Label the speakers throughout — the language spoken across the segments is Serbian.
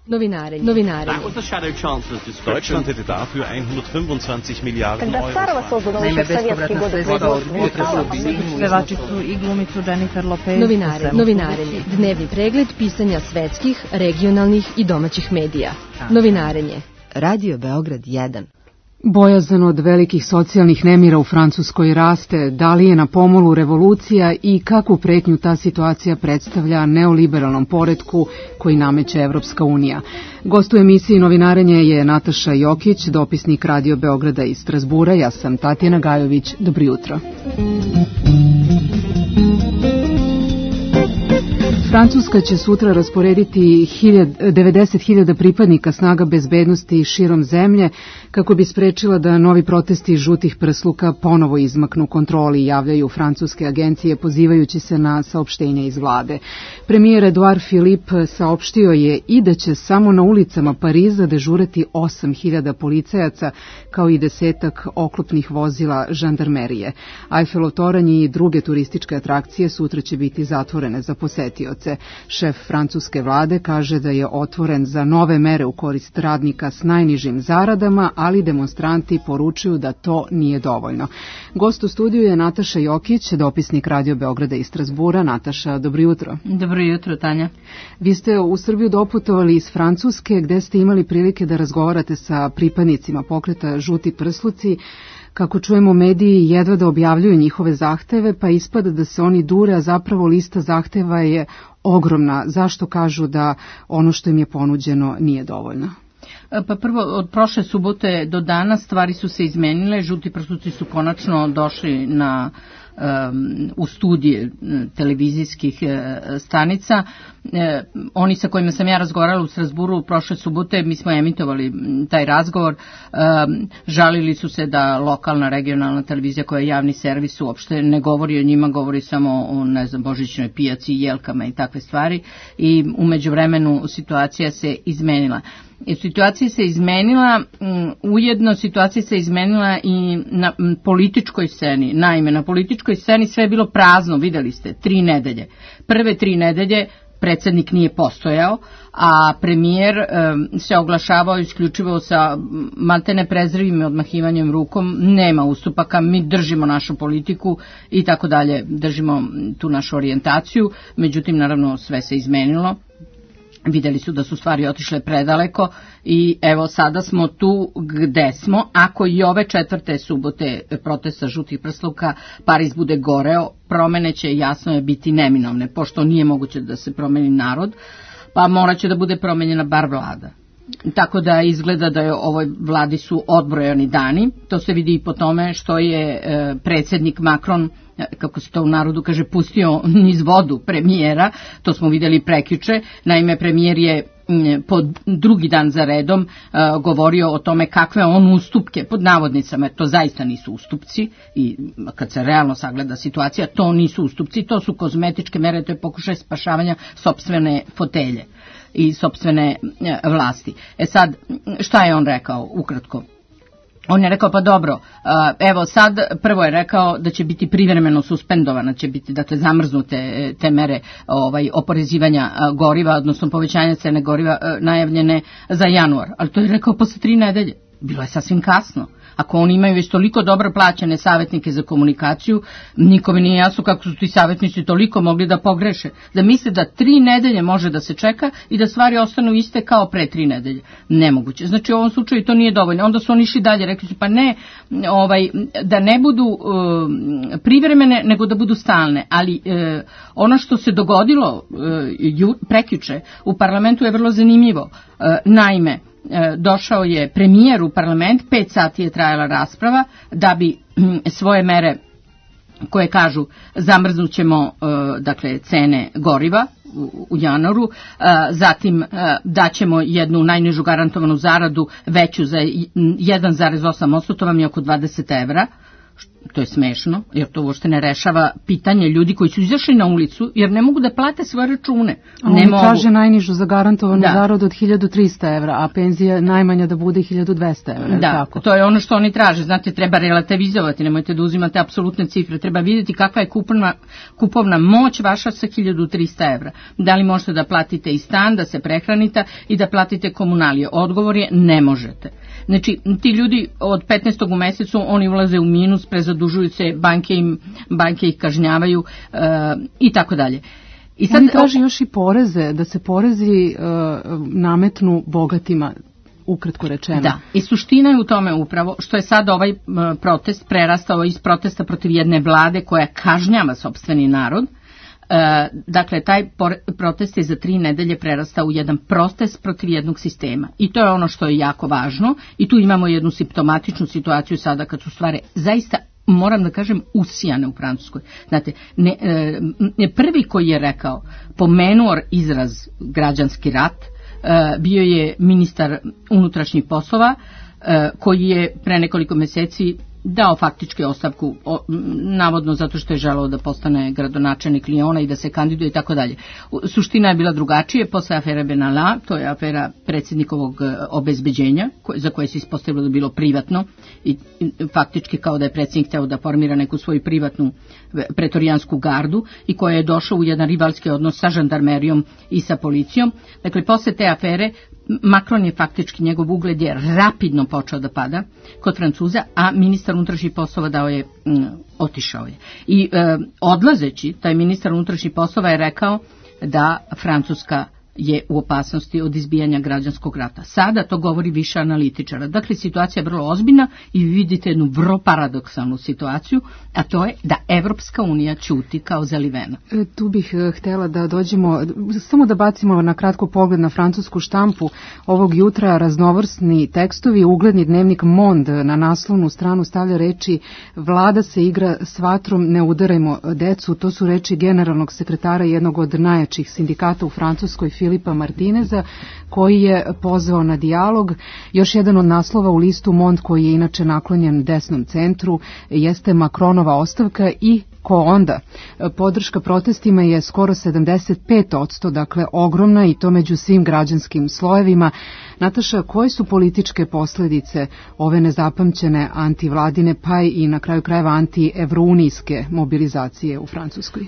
Speaker 1: Novinare.
Speaker 2: Deutschland hätte dafür 125 Milliarden Euro.
Speaker 3: Naime, bespovratna sredstva od
Speaker 4: pevačicu i glumicu Jennifer Lopez.
Speaker 1: Novinarenje. Dnevni pregled pisanja svetskih, regionalnih i domaćih medija. Novinarenje.
Speaker 5: Radio Beograd 1.
Speaker 6: Bojazan od velikih socijalnih nemira u Francuskoj raste, da li je na pomolu revolucija i kakvu pretnju ta situacija predstavlja neoliberalnom poretku koji nameće Evropska unija. Gost u emisiji Novinarenje je Nataša Jokić, dopisnik Radio Beograda iz Strasbura. Ja sam Tatjana Gajović. Dobro jutro. Francuska će sutra rasporediti 90.000 pripadnika snaga bezbednosti širom zemlje kako bi sprečila da novi protesti žutih prsluka ponovo izmaknu kontroli, javljaju francuske agencije pozivajući se na saopštenje iz vlade. Premijer Edouard Philippe saopštio je i da će samo na ulicama Pariza dežurati 8.000 policajaca kao i 10 oklopnih vozila žandarmerije. Eiffelov toranj i druge turističke atrakcije sutra će biti zatvorene za posetioce. Šef francuske vlade kaže da je otvoren za nove mere u korist radnika s najnižim zaradama, ali demonstranti poručuju da to nije dovoljno. Gost u studiju je Nataša Jokić, dopisnik Radio Beograda iz Strasbura. Nataša, dobro jutro.
Speaker 4: Dobro jutro, Tanja.
Speaker 6: Vi ste u Srbiju doputovali iz Francuske, gde ste imali prilike da razgovarate sa pripadnicima pokreta Žuti prsluci. Kako čujemo, mediji jedva da objavljuju njihove zahteve, pa ispada da se oni dure, a zapravo lista zahteva je ogromna. Zašto kažu da ono što im je ponuđeno nije dovoljno?
Speaker 4: Pa prvo, od prošle subote do danas stvari su se izmenile. Žuti prsluci su konačno došli u studije televizijskih stanica. Oni sa kojima sam ja razgovarala u Strasburu prošle subote, mi smo emitovali taj razgovor, žalili su se da lokalna, regionalna televizija koja je javni servis uopšte ne govori o njima, govori samo o, božićnoj pijaci, jelkama i takve stvari, i u međuvremenu situacija se izmenila. Situacija se izmenila, ujedno situacija se izmenila i na političkoj sceni. Naime, na političkoj sceni sve je bilo prazno, videli ste, 3 nedelje. Prve 3 nedelje predsjednik nije postojao, a premijer se oglašavao isključivo sa maltene prezrivim odmahivanjem rukom, nema ustupaka, mi držimo našu politiku i tako dalje, držimo tu našu orijentaciju, međutim, naravno, sve se izmenilo. Videli su da su stvari otišle predaleko i evo sada smo tu gde smo. Ako i ove 4. subote protesta žutih prsluka Pariz bude goreo, promene će, jasno je, biti neminovne, pošto nije moguće da se promeni narod, pa morat će da bude promenjena bar vlada. Tako da izgleda da je ovoj vladi su odbrojani dani. To se vidi i po tome što je predsjednik Macron, kako se to u narodu kaže, pustio niz vodu premijera. To smo vidjeli prekjuče. Naime, premijer je po drugi dan za redom govorio o tome kakve on ustupke, pod navodnicama, to zaista nisu ustupci, i kad se realno sagleda situacija, to nisu ustupci, to su kozmetičke mere, to je pokušaj spašavanja sopstvene fotelje i sopstvene vlasti. Sad, šta je on rekao ukratko? On je rekao, pa dobro, evo sad, prvo je rekao da će biti privremeno suspendovana, će biti, dakle, zamrznute te mere oporezivanja goriva, odnosno povećanja cene goriva najavljene za januar. Ali to je rekao posle 3 nedelje. Bilo je sasvim kasno. Ako oni imaju već toliko dobro plaćene savjetnike za komunikaciju, nikome nije jasno kako su ti savjetnici toliko mogli da pogreše. Da misle da 3 nedelje može da se čeka i da stvari ostanu iste kao pre 3 nedelje. Nemoguće. Znači u ovom slučaju to nije dovoljno. Onda su oni išli dalje, rekli su pa ne, da ne budu privremene, nego da budu stalne. Ali ono što se dogodilo prekjuče u parlamentu je vrlo zanimljivo. Naime, došao je premijer u parlament, 5 sati je trajala rasprava, da bi svoje mere koje kažu zamrznućemo, dakle, cene goriva u januaru, zatim daćemo jednu najnižu garantovanu zaradu veću za 1,8%, to vam je oko 20 evra, to je smešno, jer to uopšte ne rešava pitanje ljudi koji su izašli na ulicu, jer ne mogu da plate svoje račune.
Speaker 6: Oni traže najnižu zagarantovanu zaradu od 1300 evra, a penzija najmanja da bude 1200 evra.
Speaker 4: Da,
Speaker 6: tako?
Speaker 4: To je ono što oni traže. Znate, treba relativizovati, nemojte da uzimate apsolutne cifre. Treba vidjeti kakva je kupovna moć vaša sa 1300 evra. Da li možete da platite i stan, da se prehranite i da platite komunalije? Odgovor je ne možete. Znači, ti ljudi od 15. u mesecu, oni ulaze u minus, prezadužuju se, banke ih kažnjavaju i tako dalje.
Speaker 6: I sad, oni traže još i poreze, da se porezi nametnu bogatima, ukratko rečeno.
Speaker 4: Da, i suština je u tome upravo što je sad ovaj protest prerastao iz protesta protiv jedne vlade koja kažnjava sopstveni narod. Dakle, taj protest je za 3 nedelje prerastao u jedan protest protiv jednog sistema. I to je ono što je jako važno. I tu imamo jednu simptomatičnu situaciju sada kad su stvari zaista, moram da kažem, usijane u Francuskoj. Znate, prvi koji je rekao, pomenuo izraz građanski rat, bio je ministar unutrašnjih poslova, koji je pre nekoliko meseci dao faktički ostavku, navodno zato što je želeo da postane gradonačelnik Lijona i da se kandiduje i tako dalje. Suština je bila drugačije, posle afere Benalla, to je afera predsjednikovog obezbeđenja, za koje se ispostavilo da bilo privatno i faktički kao da je predsjednik hteo da formira neku svoju privatnu pretorijansku gardu i koja je došla u jedan rivalski odnos sa žandarmerijom i sa policijom. Dakle, posle te afere Macron je faktički, njegov ugled je rapidno počeo da pada kod Francuza, a ministar unutrašnjih poslova otišao je. I odlazeći, taj ministar unutrašnjih poslova je rekao da Francuska je u opasnosti od izbijanja građanskog rata. Sada to govori više analitičara. Dakle, situacija je vrlo ozbiljna i vidite jednu vrlo paradoksalnu situaciju, a to je da Evropska unija ćuti kao zalivena.
Speaker 6: Tu bih htjela da dođemo, samo da bacimo na kratko pogled na francusku štampu ovog jutra. Raznovrsni tekstovi, ugledni dnevnik Monde na naslovnu stranu stavlja reči: vlada se igra s vatrom, ne udarajmo decu. To su reči generalnog sekretara jednog od najjačih sindikata u Francuskoj, Filipa Martineza, koji je pozvao na dijalog. Još jedan od naslova u listu Monde, koji je inače naklonjen desnom centru, jeste Macronova ostavka i ko onda? Podrška protestima je skoro 75%, dakle ogromna, i to među svim građanskim slojevima. Nataša, koje su političke posljedice ove nezapamćene antivladine, pa i na kraju krajeva anti-evrounijske mobilizacije u Francuskoj?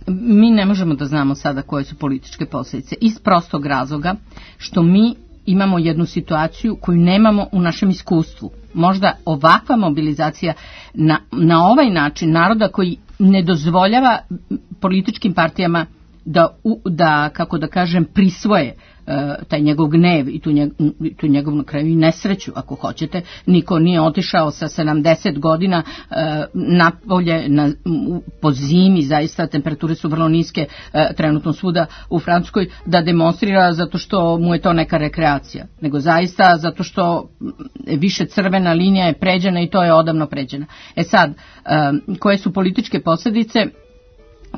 Speaker 4: Mi ne možemo da znamo sada koje su političke posljedice, iz prostog razloga što mi imamo jednu situaciju koju nemamo u našem iskustvu. Možda ovakva mobilizacija na ovaj način naroda koji ne dozvoljava političkim partijama da kako da kažem, prisvoje taj njegov gnev i tu njegov na kraju i nesreću, ako hoćete. Niko nije otišao sa 70 godina napolje po zimi, zaista temperature su vrlo niske trenutno svuda u Francuskoj, da demonstrira zato što mu je to neka rekreacija, nego zaista zato što više crvena linija je pređena i to je odavno pređena. Sad, koje su političke posljedice?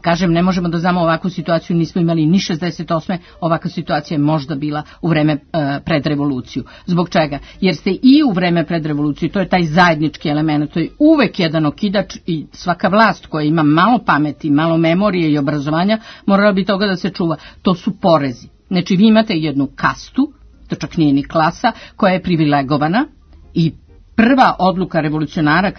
Speaker 4: Kažem, ne možemo da znamo ovakvu situaciju, nismo imali ni 68. Ovakva situacija je možda bila u vreme pred revoluciju. Zbog čega? Jer ste i u vreme pred revoluciju, to je taj zajednički element, to je uvek jedan okidač i svaka vlast koja ima malo pameti, malo memorije i obrazovanja, morala bi toga da se čuva. To su porezi. Znači, vi imate jednu kastu, to čak nije ni klasa, koja je privilegovana i prva odluka revolucionara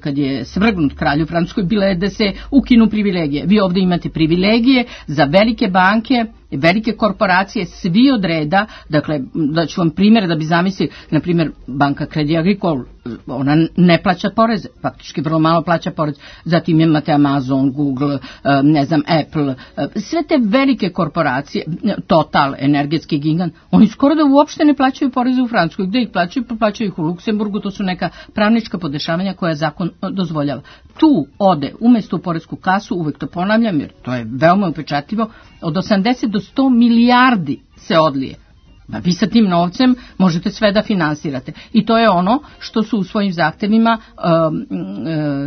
Speaker 4: kad je svrgnut kralj u Francuskoj bila je da se ukinu privilegije. Vi ovdje imate privilegije za velike banke, velike korporacije, svi od reda. Dakle, da ću vam primjer da bi zamislili, na primjer, banka Credit Agricole, ona ne plaća poreze, faktički vrlo malo plaća porez. Zatim imate Amazon, Google, ne znam, Apple, sve te velike korporacije, Total, energetski gigant, oni skoro da uopšte ne plaćaju poreze u Francuskoj. Gde ih plaćaju? Plaćaju ih u Luksemburgu, to su neka pravnička podešavanja koja zakon dozvoljava. Tu ode, umjesto u poresku kasu, uvek to ponavljam jer to je veoma upečatljivo, od 80 do 100 milijardi se odlije. Vi sa tim novcem možete sve da finansirate. I to je ono što su u svojim zahtevima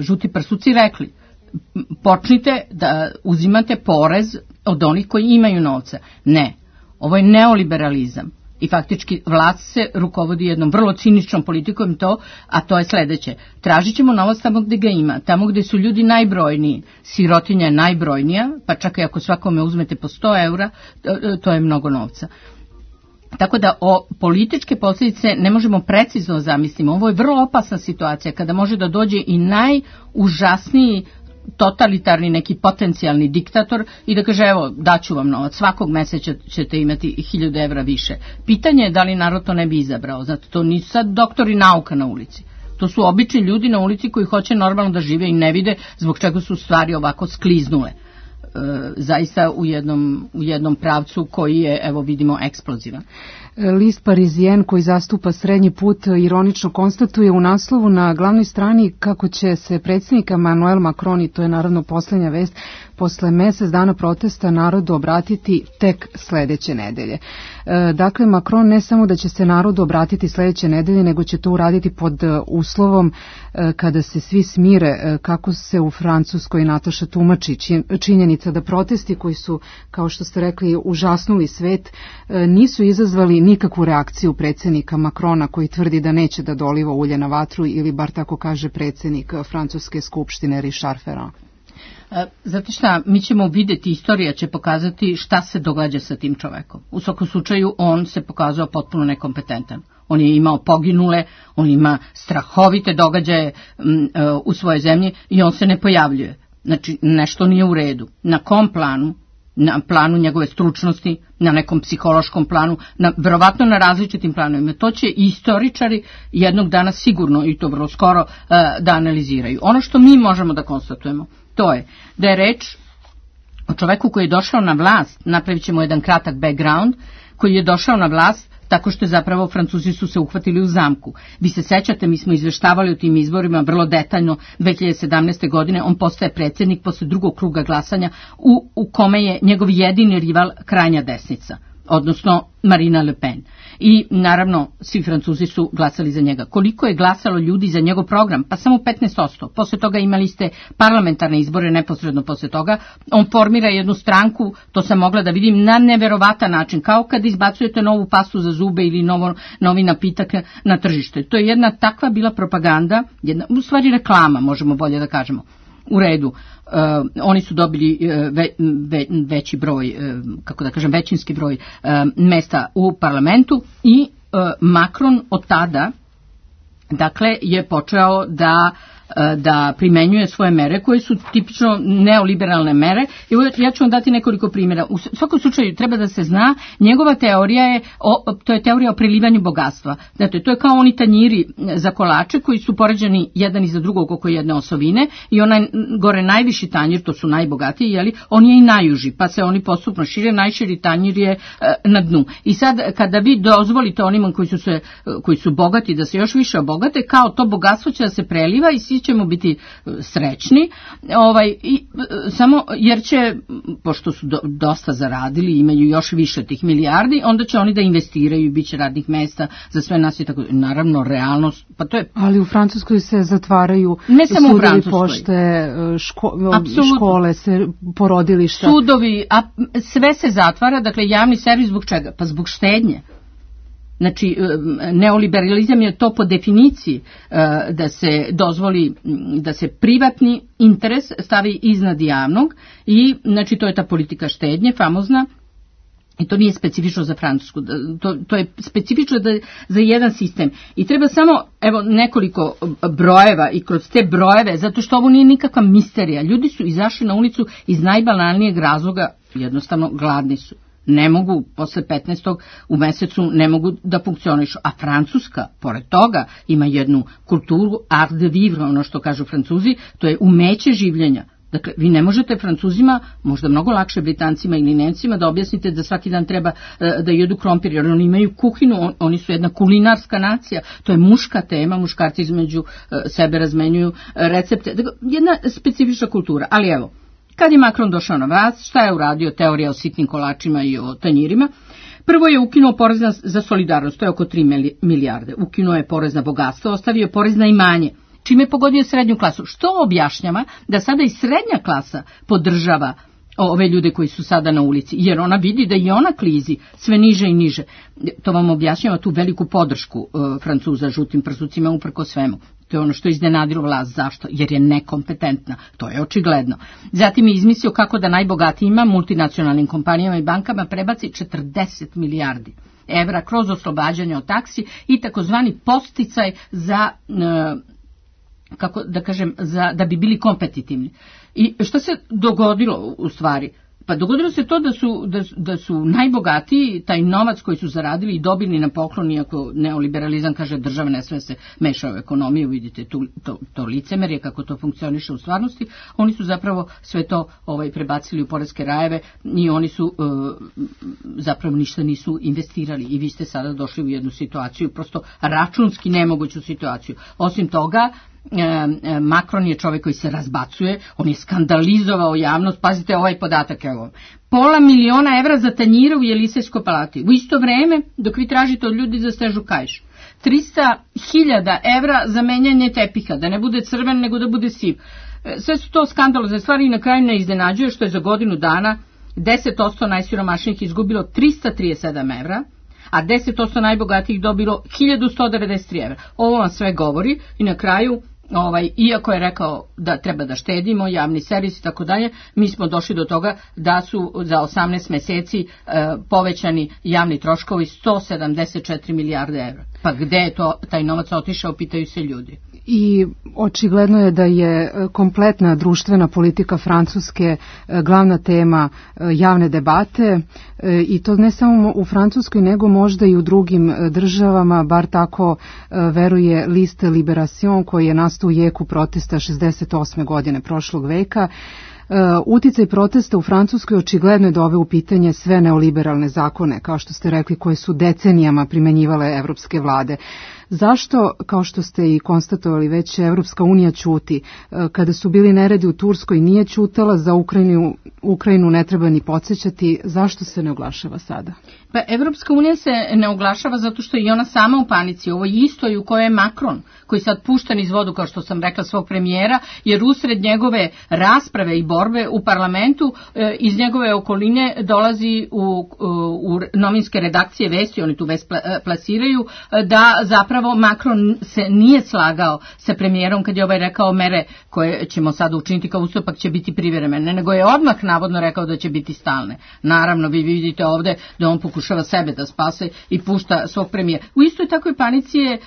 Speaker 4: žuti prsuci rekli. Počnite da uzimate porez od onih koji imaju novca. Ne, ovo je neoliberalizam. I faktički vlast se rukovodi jednom vrlo ciničnom politikom a to je sledeće. Tražit ćemo novac tamo gde ga ima, tamo gde su ljudi najbrojniji, sirotinja je najbrojnija, pa čak i ako svakome uzmete po 100 eura, to je mnogo novca. Tako da političke posljedice ne možemo precizno zamisliti. Ovo je vrlo opasna situacija kada može da dođe i najužasniji totalitarni neki potencijalni diktator i da kaže evo daću vam novac, svakog meseca ćete imati 1000 evra više. Pitanje je da li narod to ne bi izabrao. Znate, to nisu sad doktori nauka na ulici. To su obični ljudi na ulici koji hoće normalno da žive i ne vide zbog čega su stvari ovako skliznule. Zaista u jednom pravcu koji je, evo vidimo, eksplozivan.
Speaker 6: List Parisien koji zastupa srednji put ironično konstatuje u naslovu na glavnoj strani kako će se predsjednik Emmanuel Macron, i to je naravno posljednja vest, posle mesec dana protesta narodu obratiti tek sledeće nedelje. Dakle, Macron ne samo da će se narodu obratiti sledeće nedelje, nego će to uraditi pod uslovom kada se svi smire, kako se u Francuskoj, Nataša, tumači činjenica da protesti koji su, kao što ste rekli, užasnuli svet, nisu izazvali nikakvu reakciju predsjednika Macrona koji tvrdi da neće da doliva ulje na vatru, ili bar tako kaže predsjednik Francuske skupštine Richard Ferrand.
Speaker 4: Zato šta, mi ćemo vidjeti, istorija će pokazati šta se događa sa tim čovekom. U svakom slučaju on se pokazao potpuno nekompetentan. On je imao poginule, on ima strahovite događaje u svojoj zemlji i on se ne pojavljuje. Znači, nešto nije u redu. Na kom planu? Na planu njegove stručnosti, na nekom psihološkom planu, verovatno na različitim planovima. To će i istoričari jednog dana sigurno, i to vrlo skoro, da analiziraju. Ono što mi možemo da konstatujemo, to je da je reč o čoveku koji je došao na vlast, napravit ćemo jedan kratak background, koji je došao na vlast tako što je zapravo Francuzi su se uhvatili u zamku. Vi se sećate, mi smo izveštavali o tim izborima vrlo detaljno 2017. godine, on postaje predsjednik posle drugog kruga glasanja u kome je njegov jedini rival krajnja desnica, odnosno Marine Le Pen. I naravno svi Francuzi su glasali za njega. Koliko je glasalo ljudi za njegov program? Pa samo 15%. Posle toga imali ste parlamentarne izbore neposredno posle toga. On formira jednu stranku, to sam mogla da vidim, na neverovatan način, kao kad izbacujete novu pastu za zube ili novi napitak na tržište. To je jedna takva bila propaganda, u stvari reklama, možemo bolje da kažemo. U redu, oni su dobili veći broj, kako da kažem, većinski broj mesta u parlamentu i Macron od tada, dakle, je počeo da primenjuje svoje mere koje su tipično neoliberalne mere. Ja ću vam dati nekoliko primjera. U svakom slučaju treba da se zna, njegova teorija je, to je teorija o prelivanju bogatstva. Dakle, to je kao oni tanjiri za kolače koji su poređani jedan iza drugog oko jedne osovine i onaj gore najviši tanjir, to su najbogatiji, jeli, on je i najuži, pa se oni postupno šire, najširi tanjir je na dnu. I sad, kada vi dozvolite onima koji su bogati da se još više obogate, kao to bogatstvo će da se preliva i svi ćemo biti srećni, samo jer će, pošto su dosta zaradili, imaju još više tih milijardi, onda će oni da investiraju i bit će radnih mesta za sve nas i tako. Naravno, realnost, pa to je... Ali
Speaker 6: u Francuskoj se zatvaraju
Speaker 4: ne samo
Speaker 6: sudovi,
Speaker 4: u Francuskoj,
Speaker 6: pošte, škole, porodilišta.
Speaker 4: Sudovi, sve se zatvara, dakle javni servis zbog čega? Pa zbog štednje. Znači, neoliberalizam je to po definiciji da se dozvoli, da se privatni interes stavi iznad javnog i, znači, to je ta politika štednje, famozna, i to nije specifično za Francusku, to je specifično za jedan sistem. I treba samo, evo, nekoliko brojeva i kroz te brojeve, zato što ovo nije nikakva misterija. Ljudi su izašli na ulicu iz najbanalnijeg razloga, jednostavno gladni su. Ne mogu, posle 15. u mesecu ne mogu da funkcionišu. A Francuska, pored toga, ima jednu kulturu, art de vivre, ono što kažu Francuzi, to je umeće življenja. Dakle, vi ne možete Francuzima, možda mnogo lakše Britancima ili Nemcima, da objasnite da svaki dan treba da jedu krompir, jer oni imaju kuhinu, oni su jedna kulinarska nacija, to je muška tema, muškarci između sebe razmenjuju recepte, dakle, jedna specifična kultura, ali evo, kad je Macron došao na vlast, šta je uradio? Teorija o sitnim kolačima i o tanjirima. Prvo je ukinuo porez za solidarnost, to je oko 3 milijarde. Ukinuo je porez na bogatstvo, ostavio je porez na imanje, čime je pogodio srednju klasu. Što objašnjava da sada i srednja klasa podržava ove ljude koji su sada na ulici, jer ona vidi da i ona klizi sve niže i niže. To vam objašnjava tu veliku podršku Francuza žutim prsucima uprko svemu. To je ono što je iznenadilo vlast. Zašto? Jer je nekompetentna. To je očigledno. Zatim je izmislio kako da najbogatijima, multinacionalnim kompanijama i bankama prebaci 40 milijardi evra kroz oslobađanje od taksi i takozvani podsticaj za, kako da kažem, da bi bili kompetitivni. I što se dogodilo u stvari? Pa dogodilo se to da su najbogatiji taj novac koji su zaradili i dobili na poklon, iako neoliberalizam kaže država ne sve se meša u ekonomiju, vidite to licemerje kako to funkcioniše u stvarnosti, oni su zapravo sve to prebacili u poreske rajeve i oni su zapravo ništa nisu investirali i vi ste sada došli u jednu situaciju, prosto računski nemoguću situaciju. Osim toga, Macron je čovjek koji se razbacuje, on je skandalizovao javnost, pazite ovaj podatak, evo, $500.000 evra za tanjire u Jelisejskoj palati. U isto vreme, dok vi tražite od ljudi za stežu kaiš, 300.000 evra za menjanje tepiha, da ne bude crven nego da bude siv. Sve su to skandalozne stvari i na kraju ne iznenađuje što je za godinu dana 10% najsiromašnijih izgubilo 337 evra, a 10% najbogatijih dobilo 1193 evra. Ovo vam sve govori i na kraju, iako je rekao da treba da štedimo, javni servis i tako dalje, mi smo došli do toga da su za 18 meseci povećani javni troškovi 174 milijarde evra. Pa gde je taj novac otišao, pitaju se ljudi.
Speaker 6: I očigledno je da je kompletna društvena politika Francuske glavna tema javne debate i to ne samo u Francuskoj nego možda i u drugim državama, bar tako veruje list Libération koji je nastao u jeku protesta 68. godine prošlog veka. Uticaj protesta u Francuskoj očigledno je doveo u pitanje sve neoliberalne zakone, kao što ste rekli, koje su decenijama primenjivale evropske vlade. Zašto, kao što ste i konstatovali već, Evropska unija ćuti? Kada su bili neredi u Turskoj nije ćutala, za Ukrajinu ne treba ni podsjećati. Zašto se ne oglašava sada?
Speaker 4: Pa Evropska unija se ne oglašava zato što je i ona sama u panici. Ovo je isto i u kojoj je Macron, koji sad pušten iz vodu, kao što sam rekla, svog premijera, jer usred njegove rasprave i borbe u parlamentu iz njegove okoline dolazi u novinske redakcije vesti, oni tu vest plasiraju, da zapravo Macron se nije slagao sa premijerom kad je rekao mere koje ćemo sada učiniti kao ustupak će biti privremene, nego je odmah navodno rekao da će biti stalne. Naravno, vi vidite ovde da on pokušava sebe da spase i pušta svog premijera. U istoj takvoj panici je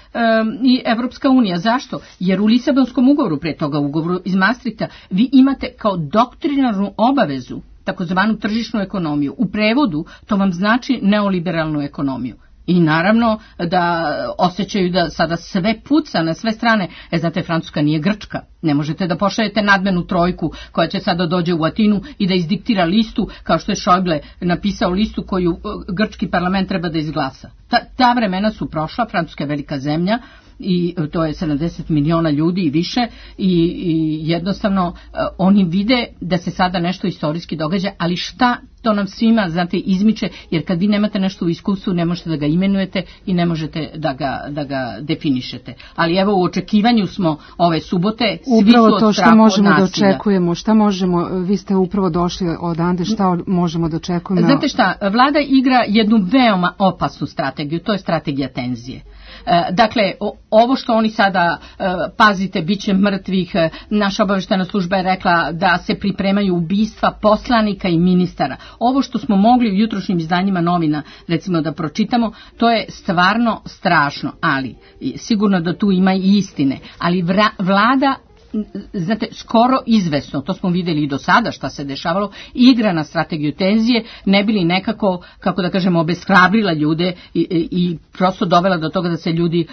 Speaker 4: i Evropska unija. Zašto? Jer u Lisabonskom ugovoru, pre toga ugovoru iz Maastrichta, vi imate kao doktrinarnu obavezu takozvanu tržišnu ekonomiju. U prevodu to vam znači neoliberalnu ekonomiju. I naravno da osjećaju da sada sve puca na sve strane. Znate, Francuska nije Grčka. Ne možete da pošaljete nadmenu trojku koja će sada dođe u Atinu i da izdiktira listu, kao što je Schäuble napisao listu koju grčki parlament treba da izglasa. Ta vremena su prošla, Francuska je velika zemlja i to je 70 miliona ljudi i više i jednostavno oni vide da se sada nešto istorijski događa, ali šta to nam svima, znate, izmiče, jer kad vi nemate nešto u iskustvu ne možete da ga imenujete i ne možete da ga definišete. Ali evo u očekivanju smo ove subote, svi su od strahu od nasilja. Upravo to što možemo da očekujemo, šta možemo, vi ste upravo došli odande, šta možemo da očekujemo? Znate šta, vlada igra jednu veoma opasnu strategiju, to je strategija tenzije. Dakle, ovo što oni sada, pazite, bit će mrtvih, naša obaveštajna služba je rekla da se pripremaju ubistva poslanika i ministara. Ovo što smo mogli u jutrošnjim izdanjima novina, recimo, da pročitamo, to je stvarno strašno, ali sigurno da tu ima i istine, ali vlada, znate, skoro izvesno, to smo vidjeli i do sada šta se dešavalo, igra na strategiju tenzije, ne bili nekako, kako da kažemo, obeshrabrila ljude i prosto dovela do toga da se ljudi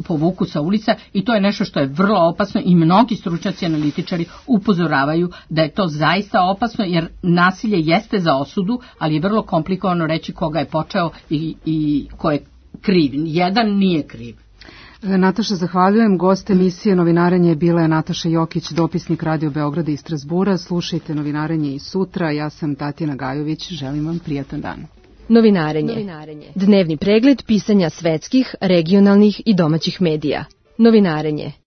Speaker 4: povuku sa ulica i to je nešto što je vrlo opasno i mnogi stručnjaci analitičari upozoravaju da je to zaista opasno jer nasilje jeste za osudu, ali je vrlo komplikovano reći koga je počeo i ko je kriv. Jedan nije kriv.
Speaker 6: Nataša, zahvaljujem. Gost emisije Novinarenje bila je Nataša Jokić, dopisnik Radio Beograda i Strasbura. Slušajte Novinarenje i sutra. Ja sam Tatjana Gajović. Želim vam prijatan dan.
Speaker 1: Novinarenje. Dnevni pregled pisanja svetskih, regionalnih i domaćih medija. Novinarenje.